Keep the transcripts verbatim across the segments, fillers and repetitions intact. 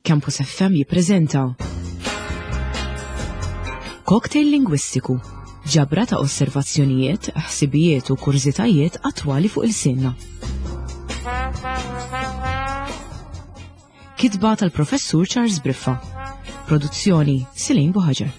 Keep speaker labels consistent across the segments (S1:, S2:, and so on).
S1: Campus F M jippreżenta Cocktail Lingwistiku, ġabra ta' osservazzjonijiet, ħsibijiet u kurżitajiet attwali fuq il-sinna. Kitba tal-Professur Charles Briffa. Produzzjoni Silin Buħaġer.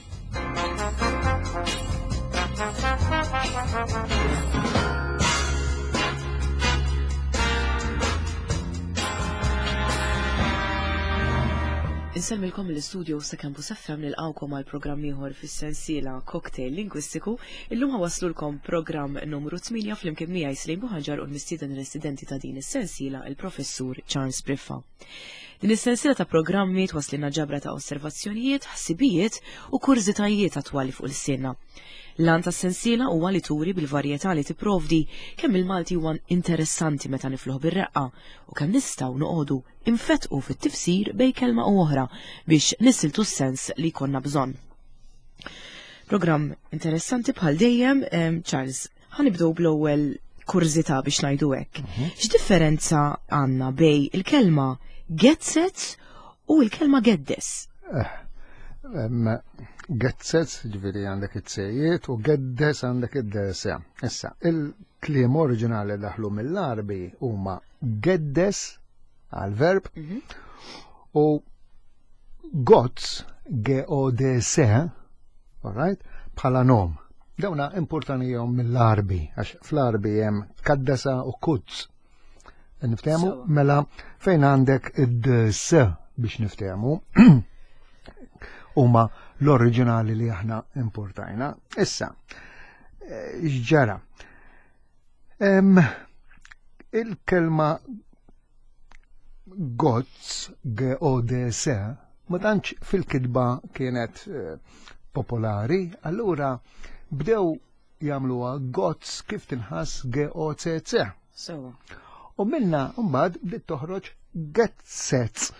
S1: Insemmilkom l-istudio sa' Campus F M nilqawkom għal programm ieħor fis-sensiela Cocktail Lingwistiku. Illum ħawaslulkom programm numru tmienja flimkien miegħi Slejn Buħaġar u l-mistieden residenti ta' din is-sensiela il-Professur Charles Briffa. Din is-sensiela ta' programmi twaslilna ġabra ta' osservazzjonijiet, ħsibijiet u kurżitajiet attwali fuq il-sinna. L-għan tas-sensiela huwa li turi bil-varjetà li tipprovdi kemm il-Malti huwa interessanti meta nifluh bir-reqqa u kemm nistgħu noqogħdu infetqu fit-tifsir bej kelma u oħra biex nisiltu s-sens li jkollna bżonn. Programm interessanti bħal dejjem, em, Charles, ħanibdew bl-ewwel kurżità biex ngħidu hekk.
S2: Mhm.
S1: X'differenza għandna bej il-kelma getzet u l-kelma geddes?
S2: Eh, em, Getzet, ġifieri għandek it-sejjiet, u geddes għandek id-desa. Issa, il-kliem oriġinali daħlu mill-Għarbi huma geddes għal-verb
S1: Mhm.
S2: u gozz, G O D S, all right, bħala nom. Dawna importanijhom mill-Għarbi, għax fl-Għarbi hemm kaddesa u kuzz. Niftehmu?
S1: Sewa.
S2: Mela fejn għandek id-s biex niftehmu huma l-oriġinali li aħna importajna. Issa, eh, x'ġara? Em, il-kelma gozz, G O D S, ma tantx fil-kitba kienet, eh, popolari, allura bdew jagħmluha gozz kif tinħass G O C C.
S1: Sewa.
S2: U minna mbagħad bdiet toħroġ getzez.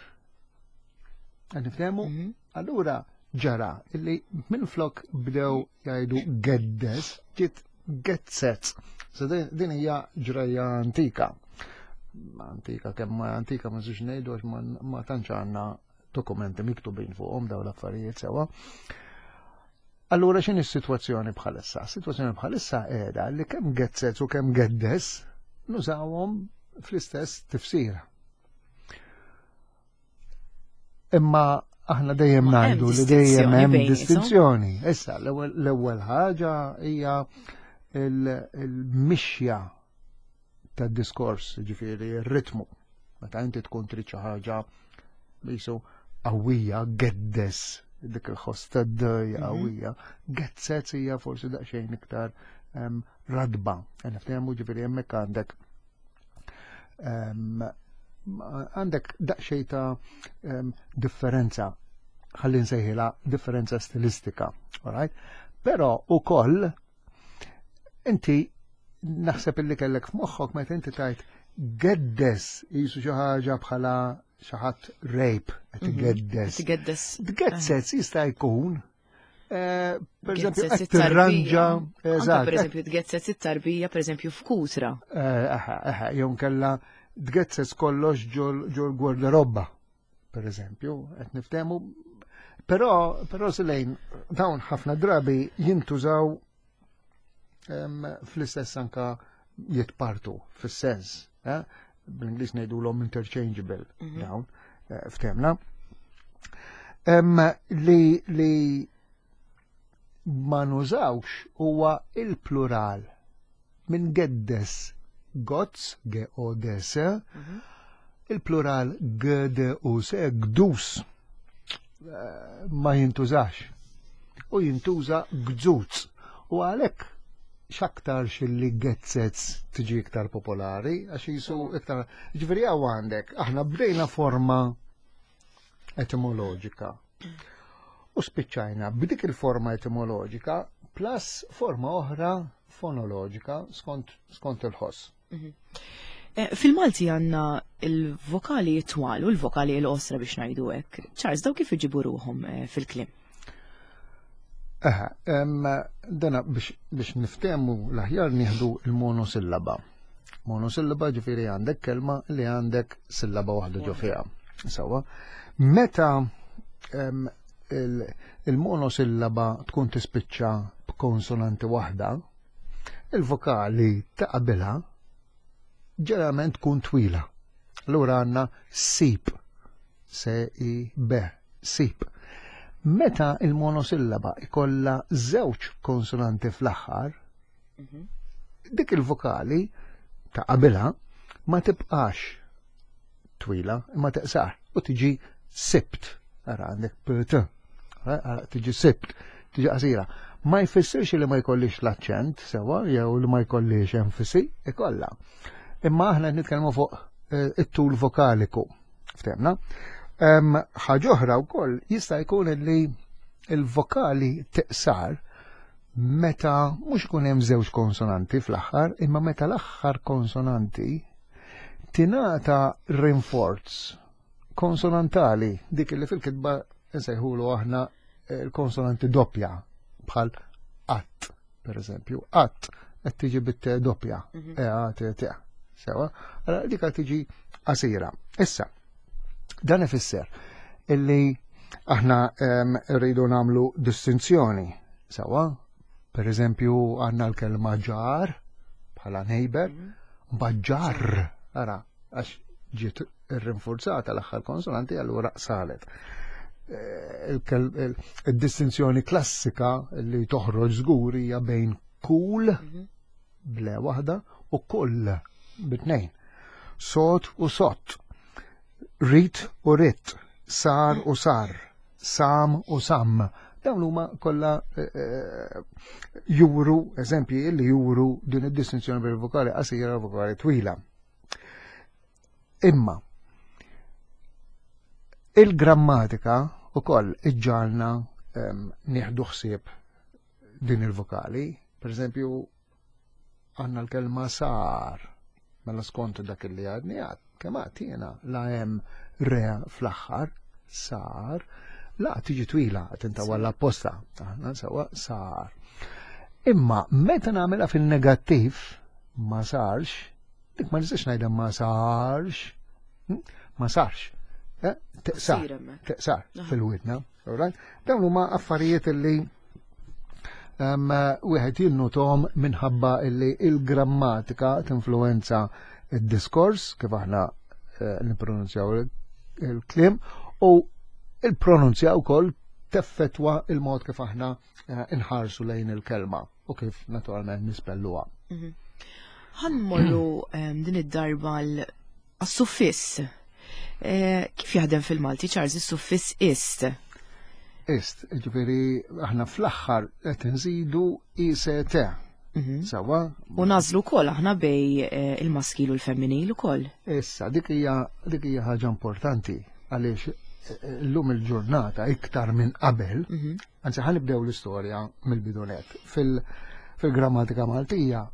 S2: Nifhemu?
S1: Mhm.
S2: Allura ġara illi minflok bdew jgħidu geddes, ġiet getzez. So din, din hija ġrajja antika. Antika kemm ma antika ma nistgħux ngħidu għax ma, ma tantx għandna dokumenti miktubin fuqhom dawn l-affarijiet sewa. Allura x'inhi s-sitwazzjoni bħalissa? Is-sitwazzjoni bħalissa qiegħda li kemm getzez u kemm geddes nużawhom fl-istess tifsira. Imma aħna dejjem
S1: Ma hemm
S2: ngħidu li dejjem
S1: distinzjoni
S2: hemm
S1: bejniethom.
S2: distinzjoni. Issa l-ewwel, l-ewwel ħaġa hija il-, il-mixja tad-diskors, ġifieri r-ritmu. Meta inti tkun trid xi ħaġa bisu qawwija, geddes, dik il-ħoss tad-dejja
S1: Mhm.
S2: qawwija, getzez hija forsi daqsxejn iktar, em, radba. Niftehmu ġifieri hemmhekk għandek, em, għandek daqsxejn ta', em, differenza, ħalli nsejħilha differenza stilistika, all right? Però ukoll inti naħseb illi kellek f'moħħok meta inti tajt geddes jisu xi ħaġa bħala xi ħadd rape, qed
S1: Mhm.
S2: igeddes.
S1: Qed igeddes.
S2: Getzez jista' jkun, eh, per eżempju,
S1: Getzez
S2: qed
S1: it-tarbija.
S2: tirranġa,
S1: Anke
S2: eżatt,
S1: per eżempju, tgetzez it-tarbija, per eżempju, f'kutra.
S2: Eh, aha, aha, jew nkella tgetzez kollox ġol, ġol gwardarobba, per eżempju, qed niftehmu. Però, però Silejn, dawn ħafna drabi jintużaw, em, fl-istess anka jitpartu fis-sens, eh? Bl-Ingliż ngħidulhom interchangeable
S1: Mhm.
S2: dawn, eh, ftemna. Em, li, li ma nużawx huwa il-plural minn geddes gozz, G O D S,
S1: Mhm.
S2: il-plural G D U S, gdus, eh, ma jintużax. U jintuża gżuz. U għalhekk x'aktarx li getzez tiġi iktar popolari, għax jisu iktar. Ġifieri hawn għandek, aħna bdejna forma etimoloġika. U spiċċajna b'dik il-forma etimoloġika plus forma oħra fonoloġika skont, skont il-ħoss.
S1: Mhm. Eh, fil-Malti għandna il-vokali twal u l-vokali l-qosra biex ngħidu hekk. Charles, daw kif iġibu ruhom, eh, fil-kliem?
S2: Aha, em, dana biex, biex niftehmu l-aħjar nieħdu il-monosillaba. Monosillaba ġifieri għandek kelma li għandek sillaba waħda ġo fiha. Sawa. Meta em, il- il-monosillaba tkun tispiċċa b'konsonanti waħda, il-vokali ta' qabilha ġeneralment tkun twila. Allura għandna sip, S I B, sip. Meta il-monosillaba ikolla żewġ konsonanti fl-aħħar, dik il-vokali ta' qabilha ma tibqax twila, imma teqsar u tiġi sibt. Ara għandek P T. Ara tiġi sibt, tiġi qasira. Ma jfissirx li ma jkollix l-aċċent, sewa, jew li ma jkollix enfisi, ikolla. Imma aħna qed nitkellmu fuq eh, it-tul vokaliku. Ftehmna? Ħaġa oħra wkoll, jista' jkun li il-vokali teqsar meta mhux ikun hemm żewġ konsonanti fl-aħħar, imma meta l-aħħar konsonanti tingħata rinforz konsonantali, dik li fil-kitba nsejħulu aħna il-konsonanti doppja, bħal att, per eżempju, att qed tiġi bit doppja, E A T T. Sewa, allora dik tiġi qasira. Issa, dan ifisser illi aħna em, rridu nagħmlu distinzjoni. Sewa, per eżempju, għandna l-kelma ġar bħala neighbor, mbagħad ġar, ara, għax ġiet irrinforzata l-aħħar konsonanti, allura salet. Eh, il-distinzjoni klassika li toħroġ żgur hija bejn kull b'L waħda u kull bit-tnejn. Sot u sott, rit u ritt, sar u sar, sam u sam. Dawn huma kollha eh, eh, juru, eżempji li juru din id-distinzjoni bejn vokali qasira u vokali twila. Imma il-grammatika ukoll iġġalna nieħdu ħsieb din il-vokali. Per eżempju, għandna l-kelma sar, mela skont dak li għadni għad, kemm għad jiena la hemm re fl-aħħar, sar, la tiġi twila, tintawal apposta, aħna sawa sar. Imma meta nagħmilha fin-negattiv, ma sarx, dik ma nistax ngħidha ma sarx, hm? Ma sarx. Eh? Teqsar, teqsar fil-widna. Dawn huma affarijiet li wieħed jinnutom minħabba illi il-grammatika tinfluenza id-diskors kif aħna eh, nippronunzjaw il-kliem u il-pronunzja wkoll teffettwa il-mod kif aħna eh, inħarsu lejn il-kelma u kif naturalment nispelluha.
S1: Mhm. Ħa mmorru din id-darba għas-suffiss. Eh, kif jaħdem fil-Malti, Charles, is-suffiss ist?
S2: Ist, ġifieri aħna fl-aħħar qed nżidu I S T. Mhm. Sawa?
S1: U nagħżlu wkoll aħna bejn eh, il-maskil u l-femminil ukoll.
S2: Issa, dik hija dik hija ħaġa importanti għaliex eh, llum il-ġurnata iktar minn qabel, mhm. anzi ħa nibdew l-istorja mill-bidunet. Fil-grammatika Maltija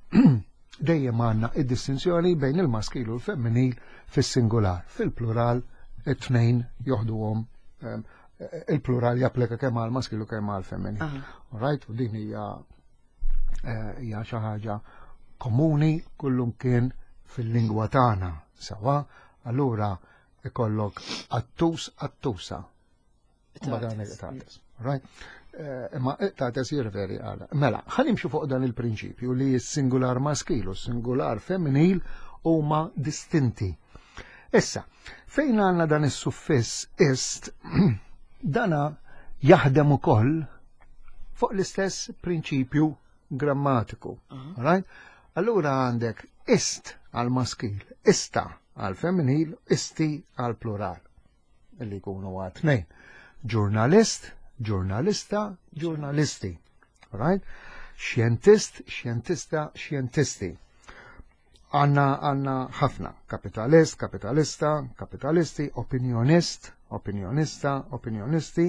S2: dejjem għandna id-distinzjoni bejn il-maskil u l-femminil fis-singular. Fil-plural it-tnejn joħduhom, ehm, il-plural japplika kemm għal maskil u kemm għal femminil. Right, u din hija eh, hija xi ħaġa komuni kullum kien fil-lingwa tagħna. Sawa, allura ikollok qattus, qattusa. Right? Eh, imma qtates jirreferi għala. Mela, ħa nimxu fuq dan il-prinċipju li s-singular maskil u s-singular femminil huma distinti. Issa, fejn għandna dan is-suffiss ist, dana jaħdem ukoll fuq l-istess prinċipju grammatiku. Right? Allura għandek ist għal maskil, ista għal femminil, isti għal plural. Illi jkunu għal tnejn. Ġurnalist, ġurnalista, ġurnalisti. Right? Xjentist, xjentista, xjentisti. Għanna għanna ħafna. Kapitalist, kapitalista, kapitalisti, opinjonist, opinjonista, opinjonisti,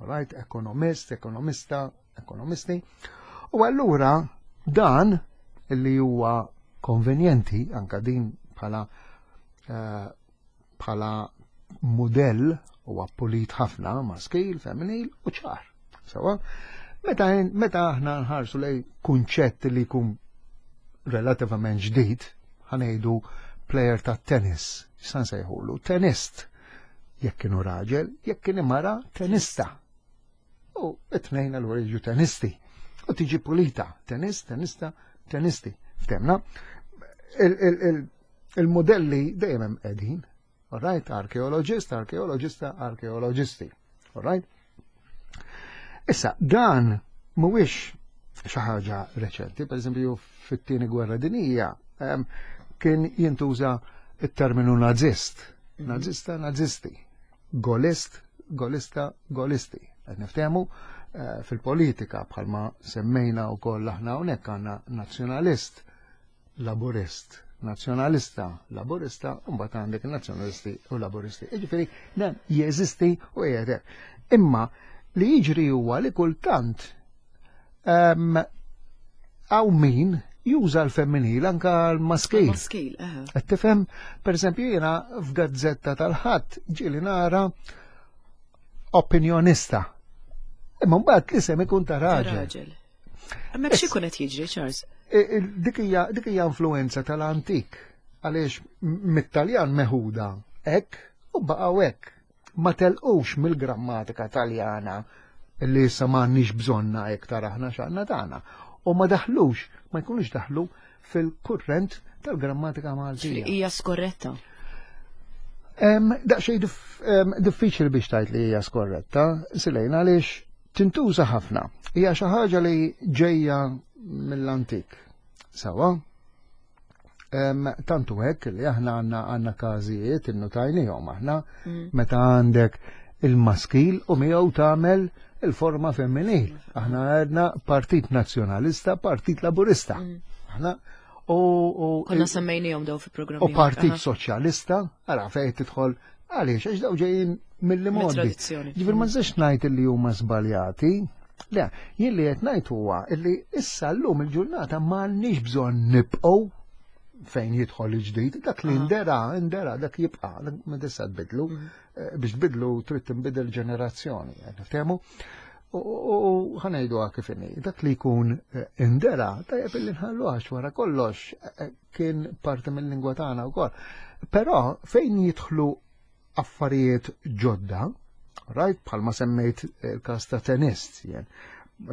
S2: right? Ekonomist, ekonomista, ekonomisti. U allura dan illi huwa konvenjenti anka din bħala eh, bħala modell huwa pulit ħafna, maskil, femminil u ċar. Sawa? Meta meta aħna nħarsu lej kunċett li jkun relativament ġdid, ħa ngħidu player ta' tennis, x'san sejħulu, tenist. Jekk kienu raġel, jekk kien mara, tenista. U it-tnejn allura jiġu tenisti. U tiġi pulita, tenist, tenista, tenisti. Ftemna? Il-modelli dejjem hemm qegħdin. All right, arkeologist, arkeologista, arkeologisti. All right? Issa, dan mhuwiex xi ħaġa reċenti, per eżempju fit-tieni gwerra dinija kien jintuża it-terminu nazist. Mhm. Nazista, nazisti. Golist, golista, golisti. Qed niftehmu eh, fil-politika bħalma semmejna wkoll aħna hawnhekk għandna nazzjonalist, laburist, nazzjonalista, laburista, u mbagħad għandek nazzjonalisti u laburisti. Jiġifieri dan jeżisti u qiegħed. Imma li jiġri huwa li kultant hawn min juża l-femminil anka l-maskil.
S1: Maskil,
S2: Qed tifhem, pereżempju jiena f'gazzetta tal-Ħadd ġieli nara opinjonista. Imma mbagħad l-isem ikun ta' raġel.
S1: Hemmhekk xi qed jiġri, Charles?
S2: Dik hija dik hija influenza tal-antik għaliex mit-Taljan meħuda hekk u baqgħu hekk. Ma telqux mill-grammatika Taljana li issa m'għandniex bżonna iktar aħna x'għandna tagħna. U ma daħlux, ma jkunux daħlu fil-kurrent tal-grammatika Maltija.
S1: Hija skorretta.
S2: Daqsxejn diffiċli biex tgħid li hija skorretta, Silejna, għaliex tintuża ħafna. Hija xi ħaġa li ġejja mill-antik. Sawa? Tantu hekk li aħna għandna għandna każijiet innutajnihom aħna mm. meta għandek il-maskil u miegħu tagħmel il-forma femminil. Aħna għedna Partit Nazzjonalista, Partit Laburista. Mm. Aħna u
S1: konna semmejnihom daw fi programmi.
S2: U Partit Soċjalista, ara fejn tidħol għaliex għax daw ġejjin mill-modi. Ġifier ma nistax ngħid li huma żbaljati. Le, jien li qed ngħid huwa li issa llum il-ġurnata m'għandniex bżonn nibqgħu fejn jidħol il-ġdid, dak li ndera, ndera, dak jibqa', ma tista' tbidlu. Mhm. Eh, biex tbidlu trid tinbidel ġenerazzjoni, niftehmu? U ħa ngħidu kif inhi, dak li jkun eh, indera, tajjeb illi nħallu għax wara kollox eh, kien parti mill-lingwa tagħna wkoll. Però fejn jidħlu affarijiet ġodda, right, bħalma semmejt il-każ ta' tenist, jen,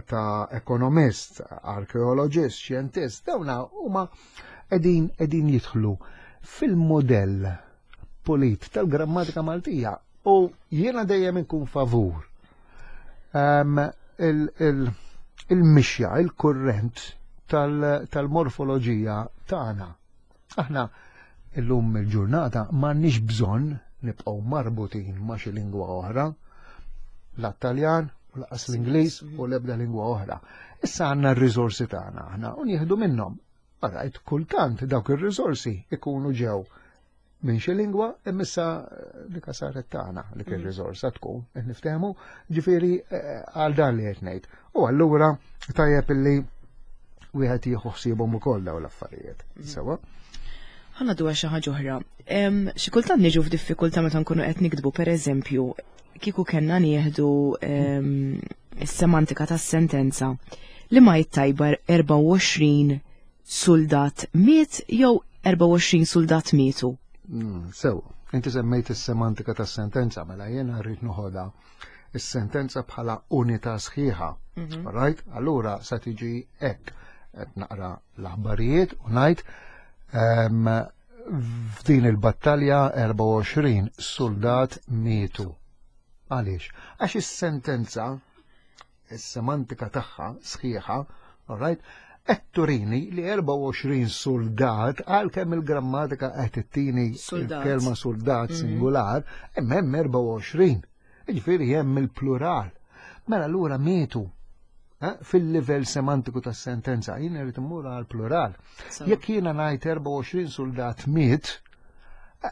S2: ta' ekonomist, arkeologist, xjentist, dawna huma qegħdin qegħdin jidħlu fil-modell pulit tal-grammatika Maltija u jiena dejjem inkun favur um, il-mixja, il-kurrent tal-morfoloġija tagħna. Aħna illum il-ġurnata m'għandniex bżonn nibqgħu marbutin ma' xi lingwa oħra, la Taljan, u lanqas l-Ingliż u l-ebda lingwa oħra. Issa għandna r-riżorsi tagħna aħna u nieħdu minnhom. Alright, kultant dawk ir-riżorsi ikunu ġew minn xi lingwa imma issa dik saret tagħna li kien mm. riżorsa tkun, qed niftehmu, ġifieri eh, għal dan li qed ngħid. U allura tajjeb illi wieħed jieħu ħsiebhom ukoll dawn l-affarijiet. Mm. Sewa.
S1: Ħa ngħidu xi ħaġa oħra. Xi kultant niġu f'diffikultà meta nkunu qed nikdbu pereżempju kieku kellna nieħdu is-semantika tas-sentenza li ma jittajbar erbgħa u għoxrin soldat miet jew erbgħa u għoxrin soldat mietu.
S2: Mm, sew, inti semmejt is-semantika tas-sentenza, mela jiena rrid noħodha is-sentenza bħala unità sħiħa. Mhm. Right? Allura sa tiġi hekk qed naqra l-aħbarijiet u ngħid f'din il-battalja erbgħa u għoxrin soldat mietu. Għaliex? Għax is-sentenza, is-semantika tagħha sħiħa, all right, qed turini li erbgħa u għoxrin soldat għalkemm il-grammatika qed ittini il-kelma soldat mhm. singular, imma hemm erbgħa u għoxrin. Jiġifieri hemm il-plural. Mela allura mietu eh, fil-livell semantiku tas-sentenza jien irid immur għal plural. Jekk jiena ngħid erbgħa u għoxrin soldat miet,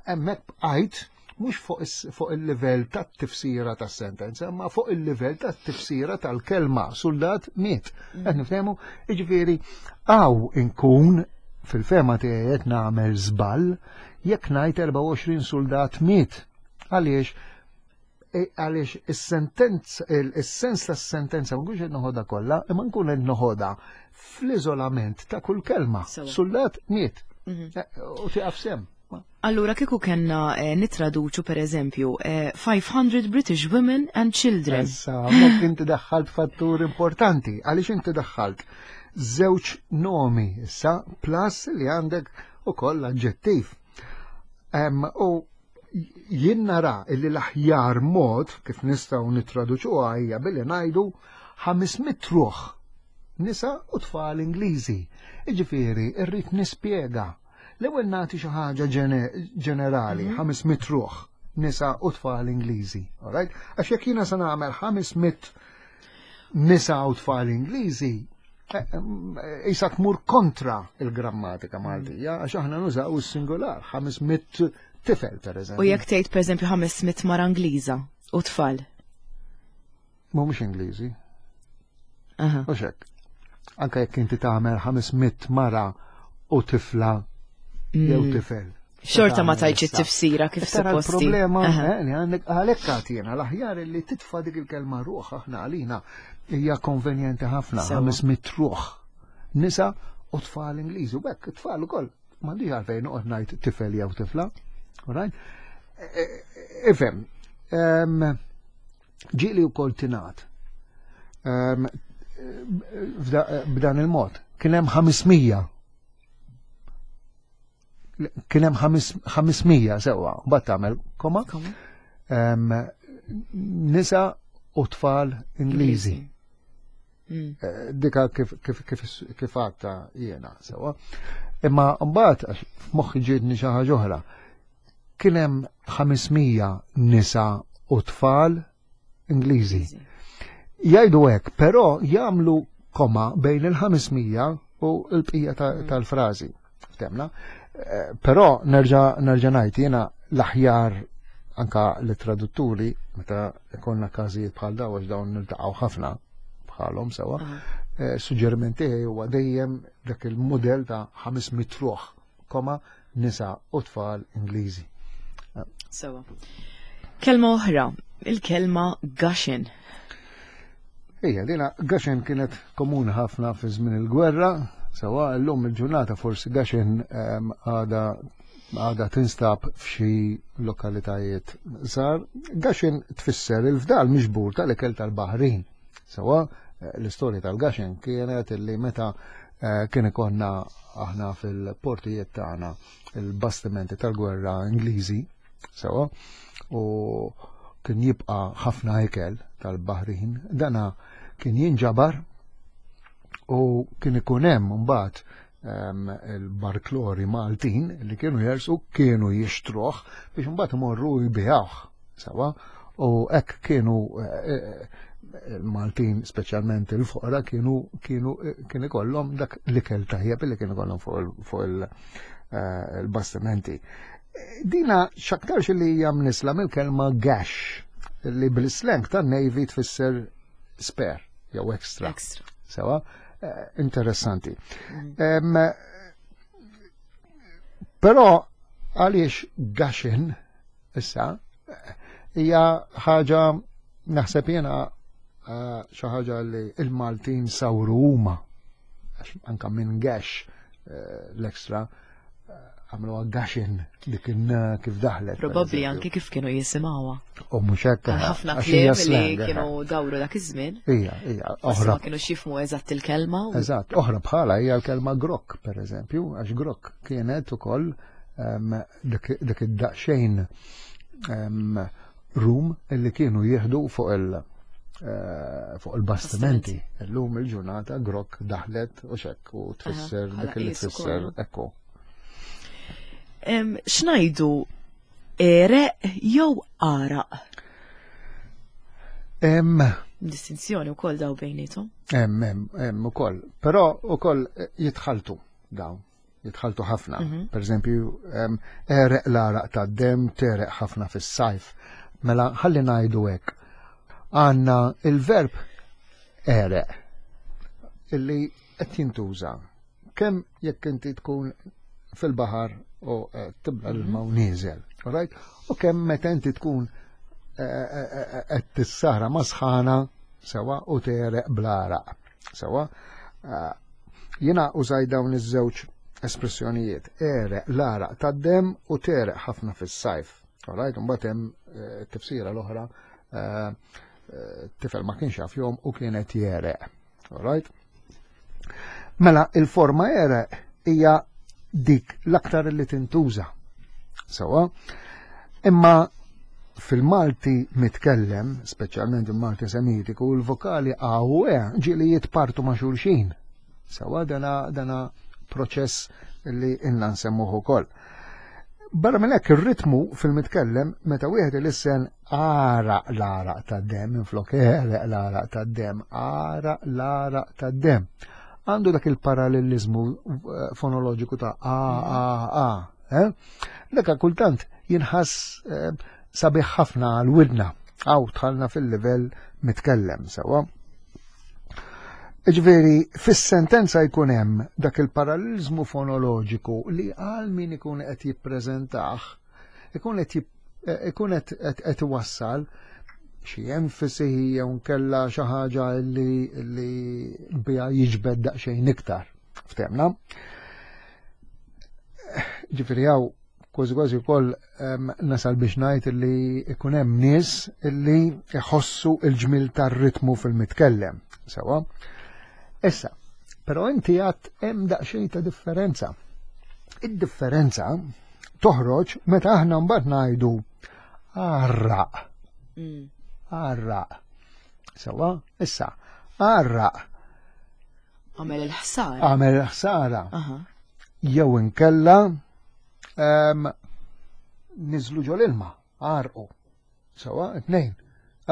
S2: hemmhekk bqajt mhux fuq il-livell tat-tifsira tas-sentenza, ma fuq il-livell tat-tifsira tal-kelma soldat miet. Mm. Qed niftehmu, jiġifieri hawn inkun fil-fehma tiegħi qed nagħmel żball jekk ngħid erbgħa u għoxrin soldat miet. Għaliex e, għaliex is-sentenza is-sens tas-sentenza ma nkunx qed noħodha kollha, imma nkun qed noħodha fl-iżolament ta' kull kelma. Soldat miet. Mhm. E, u tiqaf sem.
S1: Allura kieku kellna eh, nittraduċu per eżempju eh, five hundred British women and children.
S2: Issa, hemmhekk inti daħħalt fattur importanti, għaliex inti daħħalt żewġ nomi issa plus li għandek ukoll aġġettiv. Em, U jien nara illi l-aħjar mod kif nistgħu nittraduċuha hija billi ngħidu ħames mitt ruħ nisa u tfal Ingliżi. Iġifieri, irrid nispjega. L-ewwel nagħti xi ħaġa ġenerali, ħames mitt ruħ nisa u tfal Ingliżi. Alright? Għax jekk jiena se nagħmel ħames mitt nisa u tfal Ingliżi, issa tmur kontra il-grammatika Maltija, għax aħna nużaw is-singular, ħames mitt tifel, per eżempju.
S1: U jekk tgħid, per eżempju, ħames mitt mara Ingliża u tfal.
S2: Mhumiex Ingliżi.
S1: Aha.
S2: U hekk. Anka jekk inti tagħmel ħames mitt mara u tifla jew
S1: Mm.
S2: tifel.
S1: Xorta ma tajtx
S2: Issa.
S1: it-tifsira kif
S2: Tara
S1: supposti.
S2: l-problema
S1: Aha.
S2: eh, li għandek, għalhekk għatina l-aħjar li titfa' dik il-kelma ruħ, aħna għalina hija konvenjenti ħafna.
S1: Sewa.
S2: Ħames mitt ruħ nisa u tfal Ingliżi, u hekk tfal ukoll m'għandix għalfejn noqgħod ngħid tifel jew tifla. Alright? E- e- Ifhem, em, ġieli wkoll tingħad Em, f'da- b'dan il-mod. Kien hemm ħames mija, kien hemm ħames mija sewwa, mbagħad tagħmel koma,
S1: Koma?
S2: em, nisa u tfal Ingliżi.
S1: Mm.
S2: Eh, Dika kif kif kif kif għadta jiena sewwa. Imma mbagħad, għax f'moħħi ġietni xi ħaġa oħra. Kien hemm ħames mija nisa u tfal Ingliżi. Jgħidu hekk, però jagħmlu koma bejn il-ħames mija u l-bqija ta- tal-frażi. Ftemna? Eh, Però nerġa' nerġa' ngħid jiena l-aħjar, anka l-tradutturi, meta ikonna każijiet bħal daw, għax dawn niltaqgħu ħafna bħalhom sewa,
S1: Aha.
S2: eh, suġġeriment tiegħi huwa dejjem dak il-mudell ta' ħames mitt ruħ, koma, nisa u tfal Ingliżi.
S1: Sewa. Kelma oħra, il-kelma gushing.
S2: Ija, dina gushing kienet komuni ħafna fi żmien il-gwerra, sewa, llum il-ġurnata forsi gushing em, għada għada tinstab f'xi lokalitajiet żgħar. Gushing tfisser il-fdal miġbur tal-ikel tal-baħrin. Sewa, eh, l-istorja tal-gushing kienet illi meta eh, kien ikonna aħna fil-portijiet tagħna il-bastimenti tal-gwerra Ingliżi, sewa, u kien jibqa' ħafna ikel tal-baħrin, dana kien jinġabar u kien ikun hemm mbagħad em, il-barklori Maltin li kienu jersu, kienu jixtruh biex mbagħad imorru jbigħuh sewa, u hekk kienu eh, eh, il-Maltin, speċjalment il-foqra, kienu kienu kien ikollhom dak l-ikel tajjeb li kien ikollhom fuq il- fuq il- eh, il-bastimenti. Dina x'aktarx li hija mnisla mill-kelma gash, li bil-slang tan-Navy tfisser spare jew extra.
S1: Extra.
S2: Sewa, eh, interessanti. Em, Però għaliex gushing issa eh, hija ħaġa naħseb jiena eh, xi ħaġa li il-Maltin sawru huma, għax anka minn gash, eh, l-extra, eh, għamluha gushing, dik in kif daħlet, per
S1: Probabbli
S2: eżempju.
S1: anke kif kienu jisimgħuha.
S2: U mhux hekk,
S1: Għal ħafna
S2: għax hija
S1: kliem li
S2: slang, eh.
S1: kienu dawru dak iż-żmien.
S2: Ija, ija,
S1: Forsi
S2: oħra
S1: ma kienu jifhmu eżatt il-kelma. u-
S2: Eżatt, oħra bħala hija l-kelma grok, per eżempju, għax grok kienet ukoll em, dik dik id-daqsxejn em, rum illi kienu jieħdu fuq il- eh, fuq il-bastimenti. Illum il-ġurnata grok daħlet u xek u tfisser
S1: bħala
S2: dik li
S1: qisu
S2: tfisser
S1: kollu.
S2: ekku.
S1: Em, X'ngħidu, għereq jew għaraq?
S2: Em,
S1: Distinzjoni wkoll daw bejnietom.
S2: Hemm, hemm, hemm ukoll. Però ukoll eh, jitħaltu dawn, jitħaltu ħafna. Per eżempju, em, għereq l-għaraq ta' dem, tegħreq ħafna fis-sajf. Mela ħalli ngħidu hekk. Għandna il-verb għereq illi qed jintuża kemm jekk inti tkun fil-baħar u eh, tibla l-ilma u nieżel, alright? U kemm meta inti tkun eh, eh, eh, qed tissahra ma' sħana, sewa, u tegħreq bl-għaraq. Sewa, eh, jiena użaj dawn iż-żewġ espressjonijiet, għereq l-għaraq tad-demm u tegħreq ħafna fis-sajf. Alright, mbagħad hemm eh, tifsira l-oħra, eh, eh, tifel ma kienx jaf jgħum u kienet jegħreq. Alright? Mela il-forma għereq hija dik l-aktar li tintuża. Sawa? Imma fil-Malti mitkellem, speċjalment il-Malti Semitiku, il-vokali A u E ġieli jitpartu ma' xulxin. Sawa dana, dana proċess li inna nsemmuh ukoll. Barra minn hekk ir-ritmu fil-mitkellem meta wieħed ilissen għaraq l-għaraq tad-demm minflok għereq l-għaraq tad-demm, għaraq l-għaraq tad-demm. Għandu dak il-parallelizmu eh, fonoloġiku ta' A A A. Eh? Dak kultant jinħass eh, sabiħ ħafna għal-widna. Għaw dħalna fil-livell mitkellem sewa. Ġifieri, fis-sentenza jkun hemm dak il-parallelizmu fonoloġiku li għal min ikun qed jippreżentah, ikun qed ikun qed iwassal xi enfasi jew nkella xi ħaġa li li biha jiġbed daqsxejn iktar. Ftehmna? Ġifieri hawn kważi kważi wkoll nasal biex ngħid li ikun hemm nies li jħossu l-ġmil tar-ritmu fil-mitkellem. Sewa? Issa, però inti għat hemm daqsxejn ta' differenza. Id-differenza toħroġ meta aħna mbagħad ngħidu għarraq. Mm. Għarraq. Sewa, issa, għarraq.
S1: Għamel il-ħsara.
S2: Għamel il-ħsara. Jew inkella niżlu ġol ilma, għarqu. Sewa, tnejn.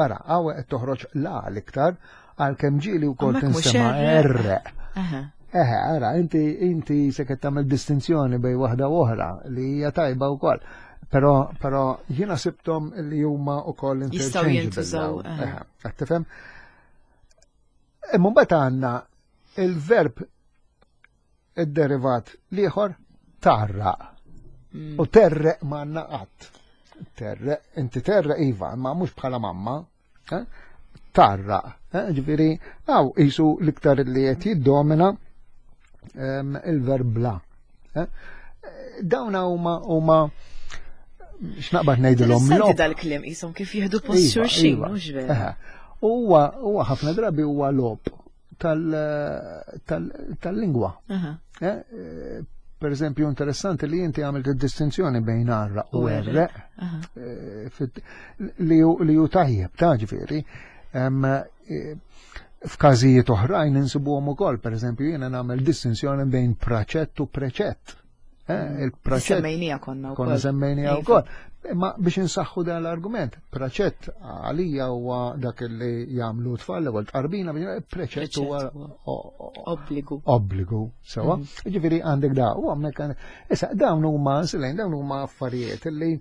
S2: Ara, għawe qed toħroġ la l-iktar għalkemm ġieli wkoll tinstema' erreq. Eħe, ara, inti inti se qed tagħmel distinzjoni bejn waħda u oħra li hija tajba wkoll. Però però jiena sibthom li huma wkoll
S1: interchangeable. Jintużaw.
S2: Eħe, qed tifhem? Imma mbagħad għandna il-verb id-derivat l-ieħor tgħarraq. Mm. U terreq ma għandna qatt. Terreq, inti terreq iva, ma mhux bħala mamma. Eh? Tgħarraq. Eh? Ġifieri, għaw jisu l-iktar li qed jiddomina il-verb bla. Eh? Dawn huma huma x'naqbad ngħidilhom
S1: logħob. Dal-kliem qishom kif jieħdu post iva, xulxin, iva. Mhux vera.
S2: Huwa huwa ħafna drabi huwa logħob tal-lingwa. Per eżempju, interessanti li inti għamilt id-distinzjoni bejn għarraq u għerreq, li hu tajjeb, ta' ġifieri. F'każijiet oħrajn insibuhom ukoll, per eżempju, jiena nagħmel distinzjoni bejn praċett u preċett.
S1: Il-praċett. Semmejnija konna
S2: wkoll. Konna semmejnija wkoll. Imma biex insaħħu dan l-argument, praċett għalija huwa dak li jagħmlu tfal l-ewwel tqarbina, preċett huwa
S1: obbligu.
S2: Obbligu, sewa. Ġifieri għandek da, u hawnhekk issa dawn huma silejn dawn huma affarijiet li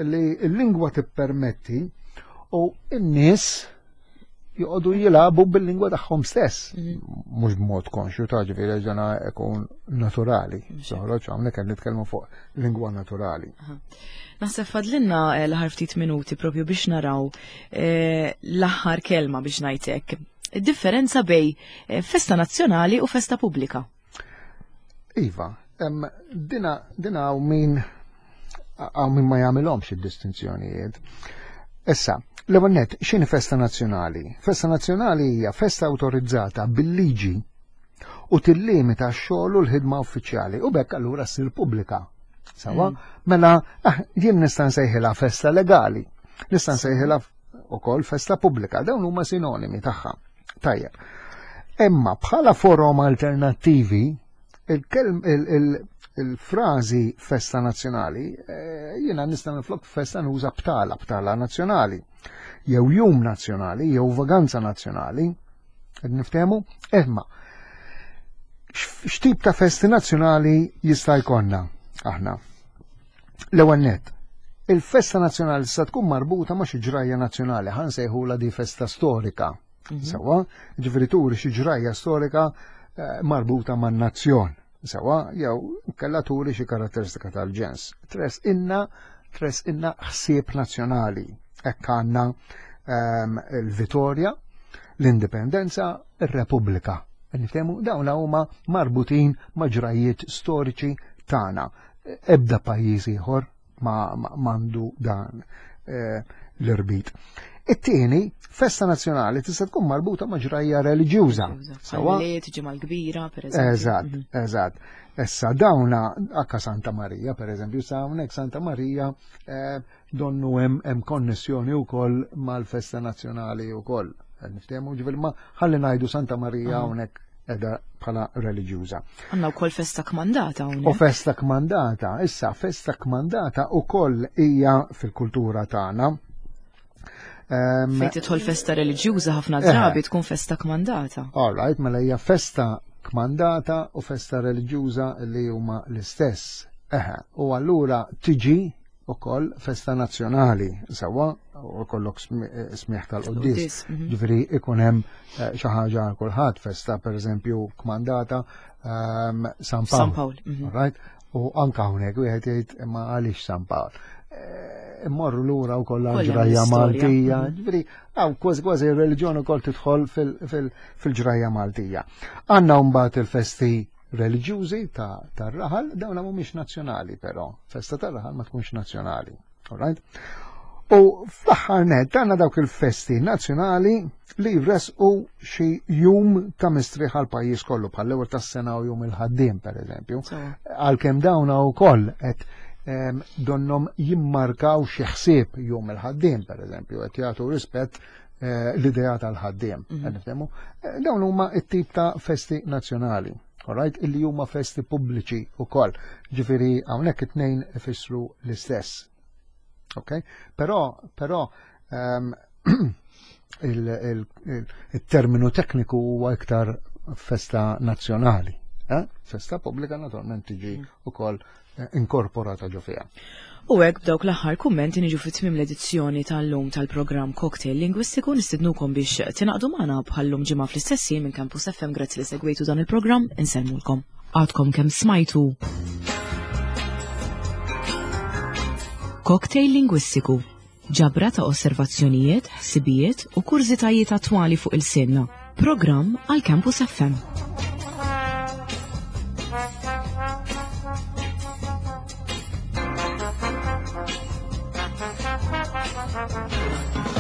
S2: l-lingwa tippermetti u n-nies joqogħdu jilagħbu bil-lingwa tagħhom stess. Mhux b'mod konxju ta' ġifieri ġana ikun naturali. Toħroġ hawnhekk qed nitkellmu fuq lingwa naturali.
S1: Naħseb fadlinna l-aħħar ftit minuti propju biex naraw l-aħħar kelma biex ngħidlek. Id-differenza bej festa nazzjonali u festa pubblika.
S2: Iva, dina dina hawn min hawn min ma jagħmilhomx id-distinzjonijiet. Issa, l-ewwel nett, x'inhi festa nazzjonali? Festa nazzjonali hija festa awtorizzata bil-liġi u tillimita x-xogħol u l-ħidma uffiċjali u bekk allura ssir pubblika. Sawa? Mela, jien nista' nsejħilha festa legali, nista' nsejħilha wkoll festa pubblika, dawn huma sinonimi tagħha. Tajjeb. Imma bħala forom alternattivi, il-kelm il-frażi festa nazzjonali, jiena nista' minflok festa nuża btala, btala nazzjonali, jew jum nazzjonali, jew vaganza nazzjonali. Qed niftehmu? Imma x'tip ta' festi nazzjonali jista' jkollna aħna? L-ewwel nett, il-festa nazzjonali sa tkun marbuta ma' xi ġrajja nazzjonali, ħa nsejħulha di festa storika. Sewa, ġifieri turi xi ġrajja storika marbuta man-nazzjon. Sewa, jew kella turi xi karatteristika tal-ġens. Tres inna, tres inna ħsieb nazzjonali. Hekk għandna il-Vitorja, l-Indipendenza, ir-Repubblika. Niftehmu dawn huma marbutin ma' ġrajiet storiċi tagħna. Ebda pajjiż ieħor ma m'għandu dan eh, l-irbit. It-tieni, festa nazzjonali tista' tkun marbuta ma' ġrajja reliġjuża.
S1: Sewwa ġimgħa l-kbira, pereżempju.
S2: Eżatt, mhm. eżatt. Issa dawna akka Santa Marija, pereżempju, sa hawnhekk Santa Marija eh, donnu hemm konnessjoni wkoll mal-festa nazzjonali wkoll. Niftehmu ġifieri ma ħalli ngħidu Santa Marija hawnhekk edha bħala reliġjuża.
S1: Għandna wkoll festa kmandata hawnhekk.
S2: U festa kmandata, issa festa kmandata wkoll hija fil-kultura tagħna.
S1: Fejn tidħol festa reliġjuża ħafna drabi tkun festa kmandata.
S2: All right, mela hija festa kmandata u festa reliġjuża li huma l-istess. Eħe, u allura tiġi ukoll festa nazzjonali, sewwa, u kollok smieħ tal-quddies.
S1: Mhm.
S2: Ġifieri ikun hemm eh, xi ħaġa għal kulħadd, festa pereżempju kmandata ehm, San Pawl.
S1: San Pawl. Mhm.
S2: Right? U anka hawnhekk wieħed jgħid imma għaliex San Pawl. Eh, immorru lura wkoll ġrajja Maltija,
S1: mhm.
S2: ġifieri hawn kważi kważi r-reliġjon ukoll tidħol fil-ġrajja Maltija. Għandna mbagħad il-festi reliġjużi tar-raħal, dawn mhumiex nazzjonali però, festa tar-raħal ma tkunx nazzjonali. All right? U fl-aħħar nett għandna dawk il-festi nazzjonali li jresqu xi jum ta' mistrieħ għal pajjiż kollu bħal l-ewwel tas-sena u jum il-ħaddiem pereżempju. Għalkemm dawn ukoll qed donnom jimmarkaw xi ħsieb jum il-ħaddiem pereżempju, qed jagħtu rispett eh, l-idea tal-ħaddiem.
S1: Mhm.
S2: Eh, dawn huma t-tip ta' festi nazzjonali. Alright, illi huma festi pubbliċi wkoll. Ġifieri hawnhekk it-tnejn ifissru l-istess. Ok? Però, però um, il-terminu tekniku huwa iktar festa nazzjonali. Eh? Festa pubblika naturalment tiġi ukoll eh, inkorporata ġo fiha.
S1: U hekk b'dawk l-aħħar kummenti niġu fi tmiem l-edizzjoni tal-lum tal-programm Cocktail Lingwistiku nistidnukom biex tingħaqdu magħna bħallum ġimgħa fl-istess minn Campus F M. Grazzi li segwejtu dan il-programm, insellmulkom. Għadkom kemm smajtu Cocktail Lingwistiku, ġabra ta' osservazzjonijiet, ħsibijiet u kurżitajiet attwali fuq il-sinna. Programm għal Campus F M.
S3: Thank you.